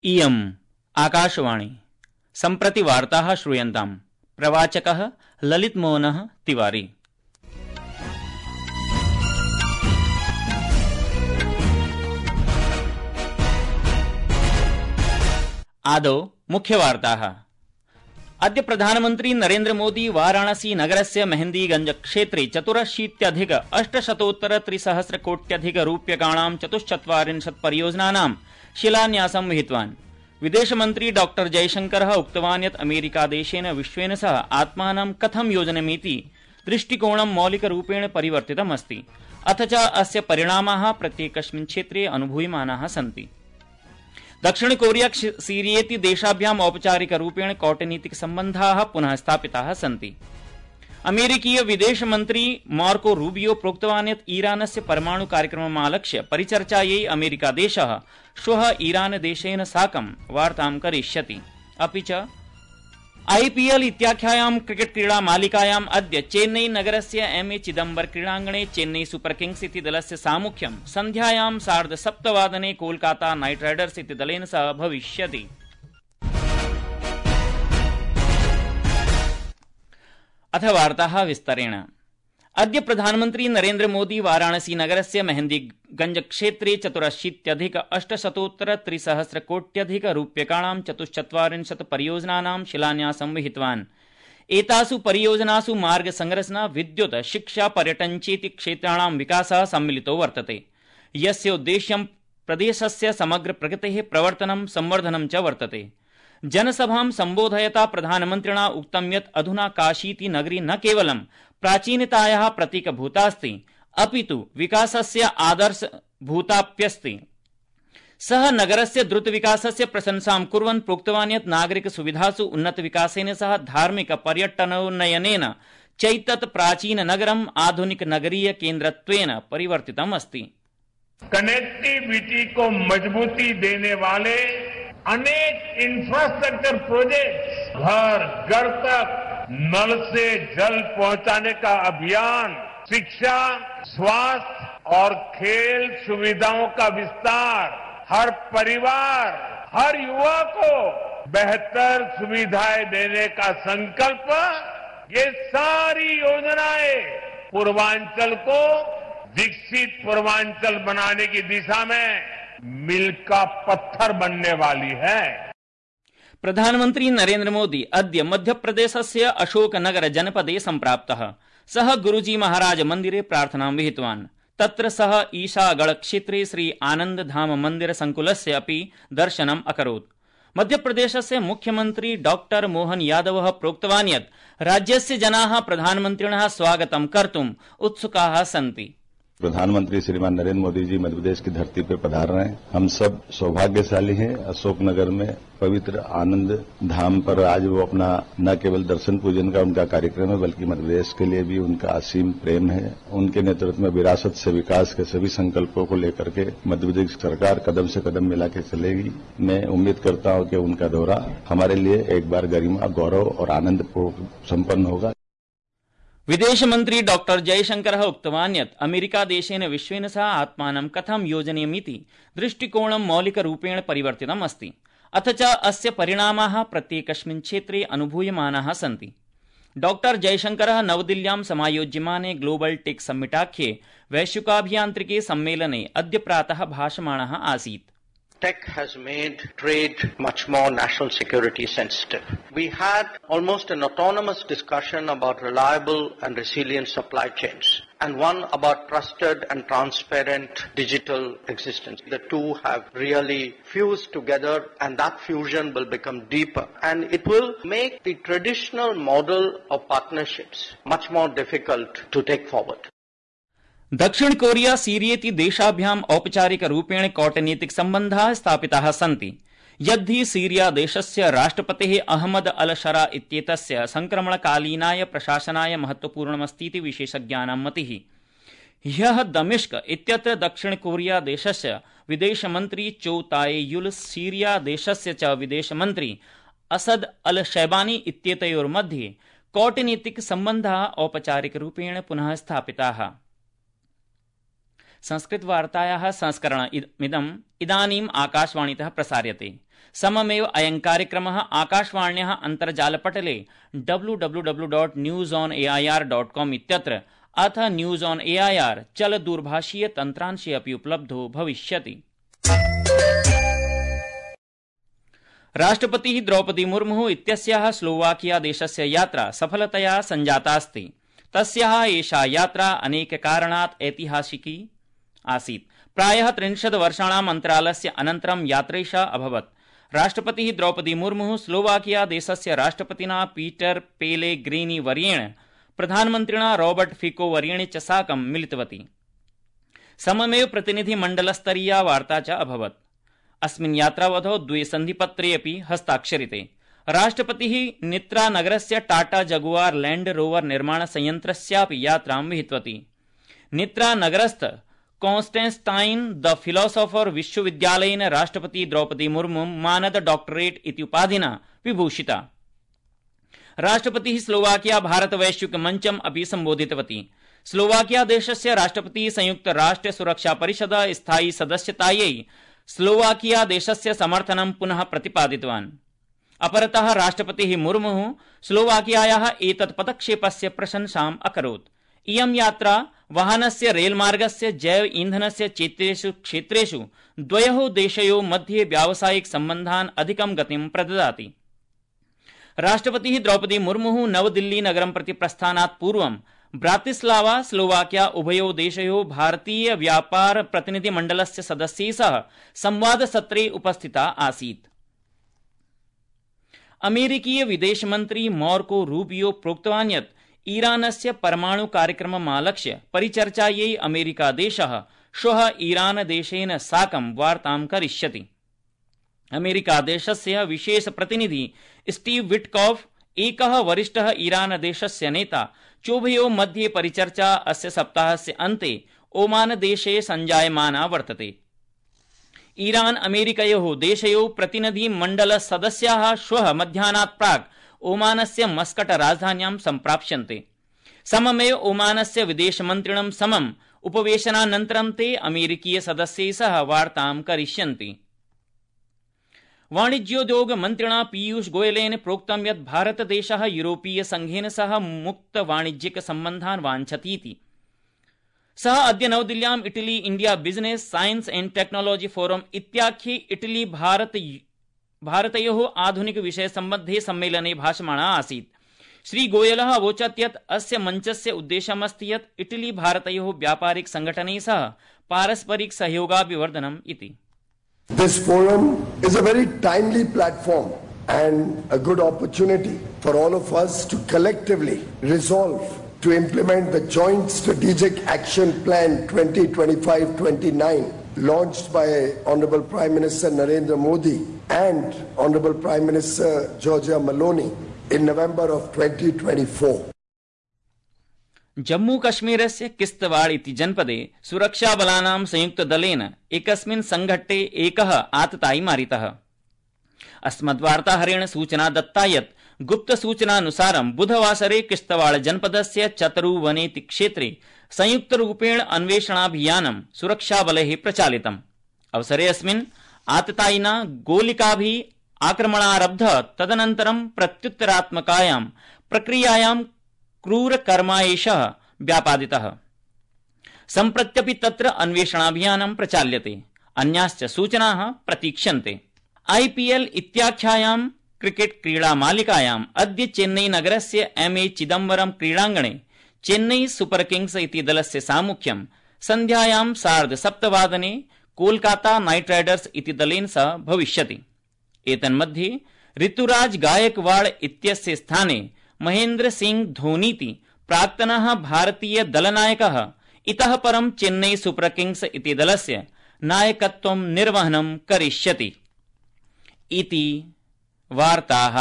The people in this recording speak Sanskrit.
इयम् आकाशवाणी सम्प्रति वार्ताः श्रूयन्ताम्। प्रवाचकः ललितमोहनः तिवारी। आदौ मुख्यवार्ताः। अद्य प्रधानमन्त्री नरेन्द्र मोदी वाराणसी नगरस्य मेहन्दीगंज क्षेत्रे 84,800,300,कोट्यधिकरूप्यकाणां 44 परियोजनानां शिलान्यासं विहितवान्। विदेशमन्त्री डॉ जयशंकरः उक्तवान् यत् अमेरिकादेशेन विश्वेन सह आत्मानं कथं योजनीयमिति दृष्टिकोणं मौलिकरूपेण परिवर्तितमस्ति, अथ च अस्य परिणामाः प्रत्येकस्मिन् क्षेत्रे अनुभूयमानाः सन्ति। दक्षिण कोरिया सीरियेति देशाभ्याम् औपचारिकरूपेण कौटनीतिक सम्बन्धाः पुनः स्थापिताः सन्ति। अमेरिकीय विदेशमन्त्री मार्को रूबियो प्रोक्तवान् यत् ईरानस्य परमाणु कार्यक्रममालक्ष्य परिचर्चायै अमेरिकादेशः श्वः ईरानदेशेन साकं वार्तां करिष्यति। अपि च आईपीएल इत्याख्यायां क्रिकेट क्रीडा मालिकायाम् अद्य चेन्नई नगरस्य एमए चिदम्बर क्रीडाङ्गणे चेन्नई सुपर किंग्स इति दलस्य सामुख्यं सन्ध्यायां 7:30 कोलकाता नाइट राइडर्स इति दलेन सह भविष्यति। अथ वार्ताः विस्तरेण। अद्य प्रधानमन्त्री नरेन्द्र मोदी वाराणसी नगरस्य मेहन्दीगंज क्षेत्रे 84,800,300,कोट्यधिकरूप्यकाणां 44 परियोजनानां शिलान्यासं विहितवान्। एतासु परियोजनासु मार्ग संरचना, विद्युत्, शिक्षा, पर्यटन चेति क्षेत्राणां विकासः सम्मिलितो वर्तते, यस्य उद्देश्यं प्रदेशस्य समग्र प्रगतेः प्रवर्तनं संवर्धनं च वर्तते। जनसभां सम्बोधयता प्रधानमन्त्रिणा उक्तं यत् अधुना काशीति नगरी न केवलं प्राचीनतायाः प्रतीकभूतास्ति, अपितु विकासस्य आदर्शभूताप्यस्ति। सः नगरस्य द्रुतविकासस्य प्रशंसां कुर्वन् प्रोक्तवान् यत् नागरिकसुविधासु उन्नतविकासेन सह धार्मिक पर्यटनोन्नयनेन चैतत् प्राचीननगरम् आधुनिकनगरीय केन्द्रत्वेन परिवर्तितम् अस्ति। कनेक्टिविटी को मजबूती देने वाले अनेक इंफ्रास्ट्रक्चर प्रोजेक्ट्स, घर घर तक नल से जल पहुंचाने का अभियान, शिक्षा, स्वास्थ्य और खेल सुविधाओं का विस्तार, हर परिवार, हर युवा को बेहतर सुविधाएं देने का संकल्प, ये सारी योजनाएं पूर्वांचल को विकसित पूर्वांचल बनाने की दिशा में मील का पत्थर बनने वाली है। प्रधानमन्त्री नरेन्द्र मोदी अद्य मध्यप्रदेशस्य अशोकनगर जनपदे सम्प्राप्तः। सः गुरुजी महाराज मन्दिरे प्रार्थनां विहितवान्। तत्र सः ईशागढ़ क्षेत्रे श्री आनंद धाम मन्दिर संकुलस्य अपि दर्शनम् अकरोत्। मध्यप्रदेशस्य मुख्यमन्त्री डॉक्टर मोहन यादवः प्रोक्तवान् यत् राज्यस्य जनाः प्रधानमन्त्रिणः स्वागतं कर्तुम् उत्सुकाः सन्ति। प्रधानमंत्री श्रीमान नरेंद्र मोदी जी मध्यप्रदेश की धरती पर पधार रहे हैं। हम सब सौभाग्यशाली हैं। अशोकनगर में पवित्र आनंद धाम पर आज वो अपना न केवल दर्शन पूजन का उनका कार्यक्रम है, बल्कि मध्यप्रदेश के लिए भी उनका असीम प्रेम है। उनके नेतृत्व में विरासत से विकास के सभी संकल्पों को लेकर के मध्यप्रदेश सरकार कदम से कदम मिला के चलेगी। मैं उम्मीद करता हूं कि उनका दौरा हमारे लिए एक बार गरिमा, गौरव और आनंद संपन्न होगा। विदेशमन्त्री डॉ जयशंकरः उक्तवान् यत् अमेरिकादेशेन विश्वेन सह आत्मानं कथं योजनीयमिति दृष्टिकोणं मौलिकरूपेण परिवर्तितम् अस्ति, अथ च अस्य परिणामाः प्रत्येकस्मिन् क्षेत्रे अनुभूयमानाः सन्ति। डॉ जयशंकरः नवदिल्ल्यां समायोज्यमाने ग्लोबल टेक सम्मिटाख्ये वैश्विकाभियान्त्रिके सम्मेलने अद्य प्रातः भाषमाणः आसीत्। Tech has made trade much more national security sensitive. We had almost an autonomous discussion about reliable and resilient supply chains, and one about trusted and transparent digital existence. The two have really fused together, and that fusion will become deeper, and it will make the traditional model of partnerships much more difficult to take forward. दक्षिण कोरिया सीरियेति देशाभ्याम् औपचारिक रूपेण कौटनीतिक सम्बन्धाः स्थापिताः सन्ति। यद्धि सीरिया देशस्य राष्ट्रपतेः अहमद अल शरा इत्येतस्य संक्रमणकालीनाय प्रशासनाय महत्वपूर्णमस्तीति विशेषज्ञानां मतिः। ह्यः दमिश्क इत्यत्र दक्षिण कोरिया देशस्य विदेशमन्त्री चो ताए युल सीरिया देशस्य च विदेशमन्त्री असद अल शैबानी इत्येतयोर्मध्ये कौटनीतिक सम्बन्धाः औपचारिक रूपेण पुनः स्थापिताः। संस्कृतवार्तायाः संस्करणमिदम् इदानीम् आकाशवाणीतः प्रसार्यते। सममेव अयं कार्यक्रमः आकाशवाण्याः अन्तर्जालपटले www.newsonair.com इत्यत्र अथ न्यूज ऑन एआईआर चलदूरभाषीय तन्त्रांशे अपि उपलब्धो भविष्यति। राष्ट्रपतिः द्रौपदी मुर्मुः इत्यस्याः स्लोवाकिया देशस्य यात्रा सफलतया सञ्जातास्ति। तस्याः एषा यात्रा अनेककारणात् ऐतिहासिकी आसीत्। प्रायः 30 वर्षाणाम् अन्तरालस्य अनन्तरं यात्रैषा अभवत्। राष्ट्रपतिः द्रौपदी मुर्मुः स्लोवाकिया देशस्य राष्ट्रपतिना पीटर पेलेग्रीनी वर्येण, प्रधानमन्त्रिणा रॉबर्ट फिको वर्येण च साकं मिलितवती। सममेव प्रतिनिधिमण्डलस्तरीया वार्ता च अभवत्। अस्मिन् यात्रावधौ 2 सन्धिपत्रे अपि हस्ताक्षरिते। राष्ट्रपतिः नित्रा नगरस्य टाटा जगुआर लैंड रोवर निर्माण संयंत्रस्यापि यात्रां विहितवती। नित्रा नगरस्थ कॉन्स्टेंटाइन द फिलोसोफर विश्वविद्यालयेन राष्ट्रपति द्रौपदी मुर्मु मानद डॉक्टरेट इति उपाधिना विभूषिता। राष्ट्रपतिः स्लोवाकिया भारत वैश्विक मंचम् अपि सम्बोधितवती। स्लोवाकिया देशस्य राष्ट्रपतिः संयुक्त राष्ट्र सुरक्षा परिषद स्थायी सदस्यतायै स्लोवाकिया देशस्य समर्थनं पुनः प्रतिपादितवान्। अपरतः राष्ट्रपतिः मुर्मुः स्लोवाकियायाः एतत् पदक्षेपस्य प्रशंसाम् अकरोत्। इयं यात्रा वाहनस्य रेलमार्गस्य जैव ईंधनस्य चेत्येषु क्षेत्रेषु द्वयोः देशयोः मध्ये व्यावसायिक सम्बन्धान् अधिकं गतिं प्रददाति। राष्ट्रपतिः द्रौपदी मुर्मुः नवदिल्ली नगरं प्रति प्रस्थानात् पूर्वं ब्रातिस्लावा स्लोवाकिया उभयोः देशयोः भारतीय व्यापार प्रतिनिधिमण्डलस्य सदस्यैः सह संवादसत्रे उपस्थिता आसीत्। अमेरिकीय विदेशमन्त्री मार्को रूबियो प्रोक्तवान् यत् ईरानस्य परमाणु कार्यक्रममालक्ष्य परिचर्चायै अमेरिकादेशः श्वः ईरानदेशेन साकं वार्तां करिष्यति। अमेरिकादेशस्य विशेष प्रतिनिधि स्टीव विटकॉफ, एकः वरिष्ठः ईरानदेशस्य नेता, चोभयोः मध्ये परिचर्चा अस्य सप्ताहस्य अन्ते ओमानदेशे सञ्जायमाना वर्तते। ईरान अमेरिकयोः देशयोः प्रतिनिधिमण्डलसदस्याः श्वः मध्याह्नात् प्राक् ओमानस्य मस्कट राजधान्यां सम्प्राप्स्यन्ते। सममेव ओमानस्य विदेशमन्त्रिणं समम् उपवेशनानन्तरं ते अमेरिकीय सदस्यैः सह वार्तां करिष्यन्ति। वाणिज्योद्योग मन्त्रिणा पीयूष गोयलेन प्रोक्तं यत् भारतदेशः यूरोपीय संघेन सह मुक्त वाणिज्यिक सम्बन्धान् वाञ्छतीति। सः अद्य नवदिल्ल्याम् Italy India business science and technology forum इत्याख्ये इटली भारतयोः आधुनिक विषय सम्बद्धे सम्मेलने भाषमाणः आसीत्। श्री गोयलः अवोचत् यत् अस्य मञ्चस्य उद्देश्यमस्ति यत् इटली भारतयोः व्यापारिक संगठनैः सह पारस्परिक सहयोगाभिवर्धनम् इति। This forum is a very timely platform and a good opportunity for all of us to collectively resolve to implement the Joint Strategic Action Plan 2025-29 launched by Honorable Prime Minister Narendra Modi and Honorable Prime Minister Giorgia Meloni in November of 2024. Jammu कश्मीरस्य किश्तवाड़ इति जनपदे सुरक्षाबलानां संयुक्तदलेन एकस्मिन् संघट्टे एकः आततायी मारितः। अस्मद्वार्ताहरेण सूचना दत्ता यत् गुप्तसूचनानुसारं बुधवासरे किश्तवाड़ जनपदस्य चतरुवनेति क्षेत्रे संयुक्तरूपेण अन्वेषणाभियानं सुरक्षाबलैः प्रचालितम्। अवसरे अस्मिन् आततायिना गोलिकाभिः आक्रमणारब्धः। तदनन्तरं प्रत्युत्तरात्मकायां प्रक्रियायां क्रूरकर्माएषः व्यापादितः। सम्प्रत्यपि तत्र अन्वेषणाभियानं प्रचाल्यते। अन्याश्च सूचनाः प्रतीक्ष्यन्ते। आईपीएल इत्याख्यायां क्रिकेट क्रीडामालिकायाम् अद्य चेन्नई नगरस्य एमए चिदम्बरम क्रीडाङ्गणे चेन्नई सुपर किंग्स इति दलस्य सामुख्यं सन्ध्यायां 7:30 कोलकाता नाइट राइडर्स इति दलेन सह भविष्यति। एतन्मध्ये ऋतुराज गायकवाड़ इत्यस्य स्थाने महेन्द्र सिंह धोनीति प्राक्तनः भारतीय दलनायकः इतः परं चेन्नई सुपर किंग्स इति दलस्य नायकत्वं निर्वहनं करिष्यति। इति वार्ताः।